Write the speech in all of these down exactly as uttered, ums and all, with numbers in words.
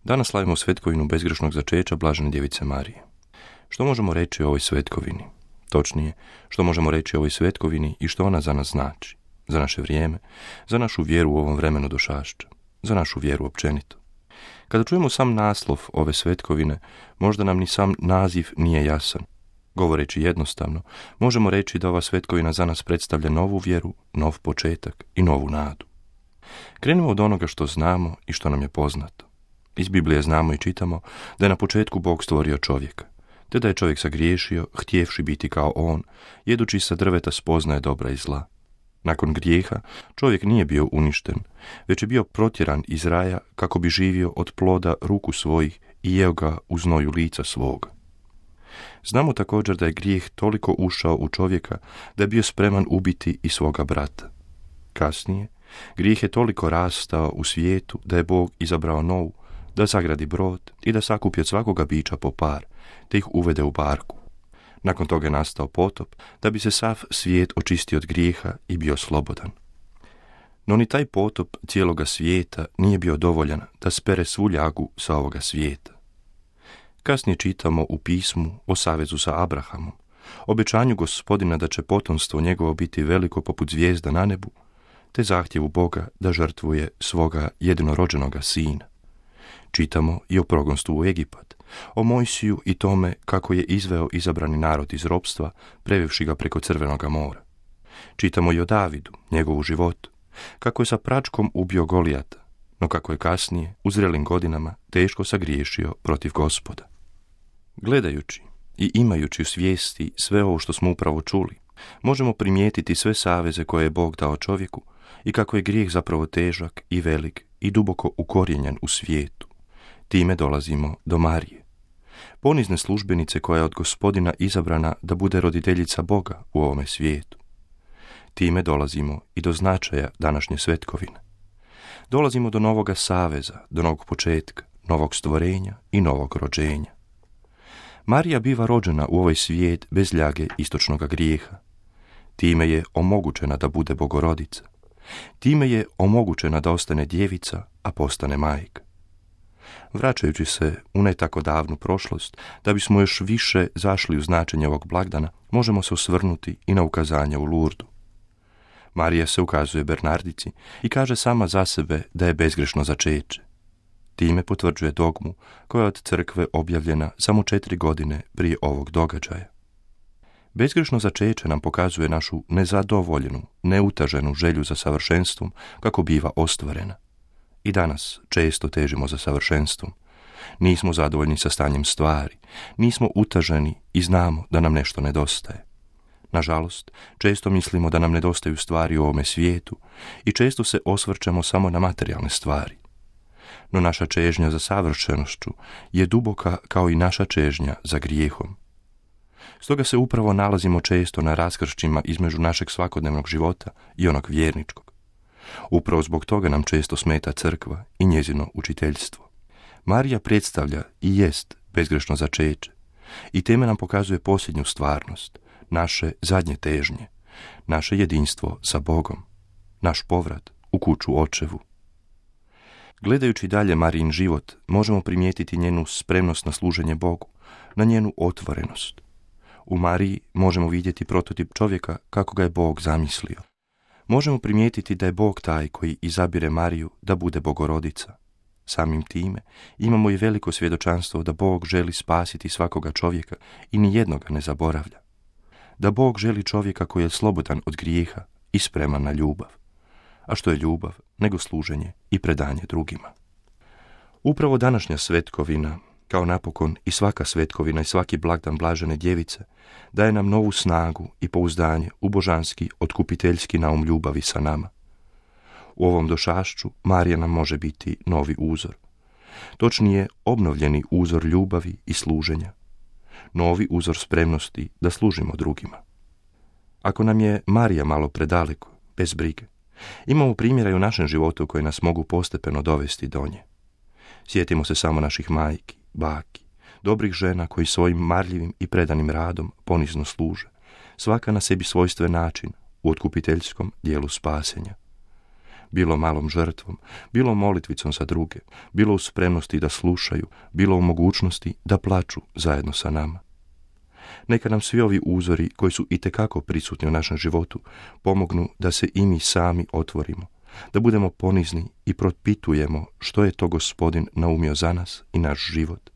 Danas slavimo svetkovinu bezgrešnog začeća blažene djevice Marije. Što možemo reći o ovoj svetkovini? Točnije, što možemo reći o ovoj svetkovini i što ona za nas znači, za naše vrijeme, za našu vjeru u ovom vremenu došašća, za našu vjeru općenito. Kada čujemo sam naslov ove svetkovine, možda nam ni sam naziv nije jasan. Govoreći jednostavno, možemo reći da ova svetkovina za nas predstavlja novu vjeru, nov početak i novu nadu. Krenimo od onoga što znamo i što nam je poznato. Iz Biblije znamo i čitamo da je na početku Bog stvorio čovjeka, te da je čovjek sagriješio, htjevši biti kao on, jedući sa drveta spoznaje dobra i zla. Nakon grijeha čovjek nije bio uništen, već je bio protjeran iz raja kako bi živio od ploda ruku svojih i jeo ga u znoju lica svoga. Znamo također da je grijeh toliko ušao u čovjeka da je bio spreman ubiti i svoga brata. Kasnije, grijeh je toliko rastao u svijetu da je Bog izabrao Novu da zagradi brod i da sakupi od svakoga bića po par, te ih uvede u barku. Nakon toga je nastao potop, da bi se sav svijet očistio od grijeha i bio slobodan. No ni taj potop cijeloga svijeta nije bio dovoljan da spere svu ljagu sa ovoga svijeta. Kasnije čitamo u pismu o savezu sa Abrahamom, obećanju Gospodina da će potomstvo njegovo biti veliko poput zvijezda na nebu, te zahtjevu Boga da žrtvuje svoga jedinorođenoga sina. Čitamo i o progonstvu u Egipat, o Mojsiju i tome kako je izveo izabrani narod iz ropstva, prevevši ga preko Crvenoga mora. Čitamo i o Davidu, njegovu životu, kako je sa pračkom ubio Golijata, no kako je kasnije, u zrelim godinama, teško sagriješio protiv Gospoda. Gledajući i imajući u svijesti sve ovo što smo upravo čuli, možemo primijetiti sve saveze koje je Bog dao čovjeku i kako je grijeh zapravo težak i velik i duboko ukorijenjen u svijetu. Time dolazimo do Marije, ponizne službenice koja je od Gospodina izabrana da bude roditeljica Boga u ovome svijetu. Time dolazimo i do značaja današnje svetkovine. Dolazimo do novoga saveza, do novog početka, novog stvorenja i novog rođenja. Marija biva rođena u ovaj svijet bez ljage istočnoga grijeha. Time je omogućena da bude bogorodica. Time je omogućena da ostane djevica, a postane majka. Vraćajući se u ne tako davnu prošlost, da bismo još više zašli u značenje ovog blagdana, možemo se osvrnuti i na ukazanja u Lurdu. Marija se ukazuje Bernardici i kaže sama za sebe da je bezgrešno začeće. Time potvrđuje dogmu koja je od crkve objavljena samo četiri godine prije ovog događaja. Bezgrešno začeće nam pokazuje našu nezadovoljenu, neutaženu želju za savršenstvom kako biva ostvarena. I danas često težimo za savršenstvom. Nismo zadovoljni sa stanjem stvari, nismo utaženi i znamo da nam nešto nedostaje. Nažalost, često mislimo da nam nedostaju stvari u ovome svijetu i često se osvrćemo samo na materijalne stvari. No naša čežnja za savršenošću je duboka kao i naša čežnja za grijehom. Stoga se upravo nalazimo često na raskršćima između našeg svakodnevnog života i onog vjerničkog. Upravo zbog toga nam često smeta crkva i njezino učiteljstvo. Marija predstavlja i jest bezgrešno začeće i time nam pokazuje posljednju stvarnost, naše zadnje težnje, naše jedinstvo sa Bogom, naš povrat u kuću očevu. Gledajući dalje Marijin život, možemo primijetiti njenu spremnost na služenje Bogu, na njenu otvorenost. U Mariji možemo vidjeti prototip čovjeka kako ga je Bog zamislio. Možemo primijetiti da je Bog taj koji izabire Mariju da bude bogorodica. Samim time imamo i veliko svjedočanstvo da Bog želi spasiti svakoga čovjeka i nijednoga ne zaboravlja. Da Bog želi čovjeka koji je slobodan od grijeha i spreman na ljubav. A što je ljubav nego služenje i predanje drugima. Upravo današnja svetkovina, kao napokon i svaka svetkovina i svaki blagdan blažene djevice, daje nam novu snagu i pouzdanje u božanski otkupiteljski naum ljubavi sa nama. U ovom došašću Marija nam može biti novi uzor. Točnije, obnovljeni uzor ljubavi i služenja. Novi uzor spremnosti da služimo drugima. Ako nam je Marija malo predaleko, bez brige, imamo primjera i u našem životu koji nas mogu postepeno dovesti do nje. Sjetimo se samo naših majki, baki, dobrih žena koji svojim marljivim i predanim radom ponizno služe, svaka na sebi svojstven način u otkupiteljskom dijelu spasenja. bilo malom žrtvom, bilo molitvicom za druge, bilo u spremnosti da slušaju, bilo u mogućnosti da plaču zajedno sa nama. Neka nam svi ovi uzori koji su itekako prisutni u našem životu pomognu da se i mi sami otvorimo, da budemo ponizni i propitujemo što je to Gospodin naumio za nas i naš život,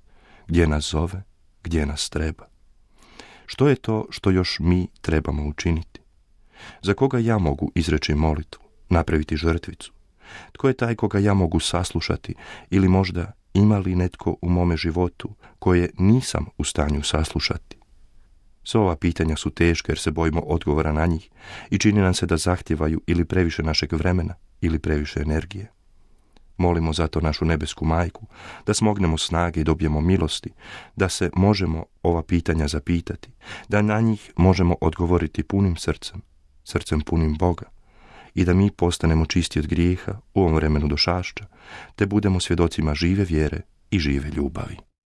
gdje nas zove, gdje nas treba. Što je to što još mi trebamo učiniti? Za koga ja mogu izreći molitvu, napraviti žrtvicu? Tko je taj koga ja mogu saslušati ili možda ima li netko u mome životu koje nisam u stanju saslušati? Sva ova pitanja su teške jer se bojimo odgovora na njih i čini nam se da zahtijevaju ili previše našeg vremena ili previše energije. Molimo zato našu nebesku majku da smognemo snage i dobijemo milosti, da se možemo ova pitanja zapitati, da na njih možemo odgovoriti punim srcem, srcem punim Boga i da mi postanemo čisti od grijeha u ovom vremenu došašća, te budemo svjedocima žive vjere i žive ljubavi.